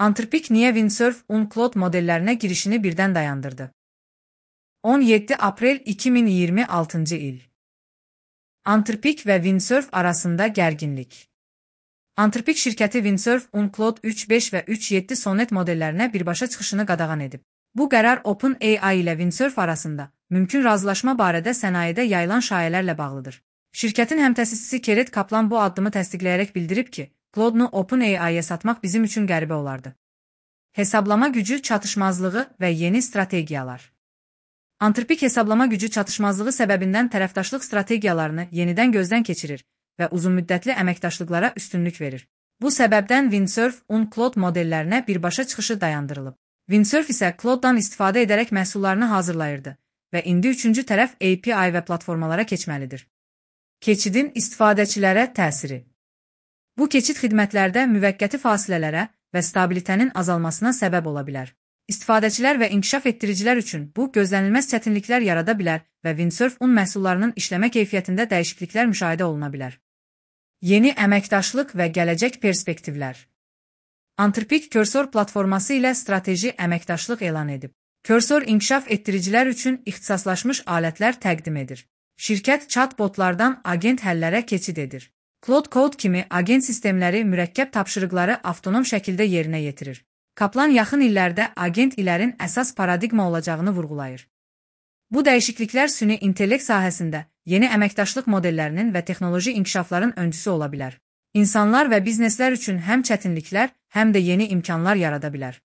Anthropic niye Windsurf Uncloud modellerine girişini birden dayandırdı? 17 April 2026 il. Anthropic ve Windsurf arasında gerginlik. Anthropic şirketi Windsurf Uncloud 3.5 ve 3.7 Sonnet modellerine birbaşa çıxışını qadağan edib. Bu qərar OpenAI ile Windsurf arasında mümkün razılaşma barədə sənayedə yayılan şayələrlə bağlıdır. Şirkətin həmtəsisçisi Keret Kaplan bu addımı təsdiqləyərək bildirib ki, Claude-nu OpenAI-yə satmaq bizim üçün qəribə olardı. Hesablama gücü çatışmazlığı və yeni strategiyalar. Anthropic hesablama gücü çatışmazlığı səbəbindən tərəfdaşlıq strategiyalarını yenidən gözdən keçirir və uzunmüddətli əməkdaşlıqlara üstünlük verir. Bu səbəbdən Windsurf Uncloud modellərinə birbaşa çıxışı dayandırılıb. Windsurf isə Claude-dan istifadə edərək məhsullarını hazırlayırdı və indi üçüncü tərəf API və platformalara keçməlidir. Keçidin istifadəçilərə təsiri. Bu keçid xidmətlərdə müvəqqəti fasilələrə və stabilitənin azalmasına səbəb ola bilər. İstifadəçilər və inkişaf etdiricilər üçün bu gözlənilməz çətinliklər yarada bilər və Windsurf məhsullarının işləmə keyfiyyətində dəyişikliklər müşahidə oluna bilər. Yeni əməkdaşlıq və gələcək perspektivlər. Anthropic Cursor platforması ilə strateji əməkdaşlıq elan edib. Cursor inkişaf etdiricilər üçün ixtisaslaşmış alətlər təqdim edir. Şirkət chatbotlardan agent həllərə keçid edir. Claude Code kimi agent sistemləri mürəkkəb tapşırıqları avtonom şəkildə yerinə yetirir. Kaplan yaxın illərdə agent ilərin əsas paradigma olacağını vurğulayır. Bu dəyişikliklər süni intellekt sahəsində yeni əməkdaşlıq modellərinin və texnoloji inkişafların öncüsü ola bilər. İnsanlar və bizneslər üçün həm çətinliklər, həm də yeni imkanlar yarada bilər.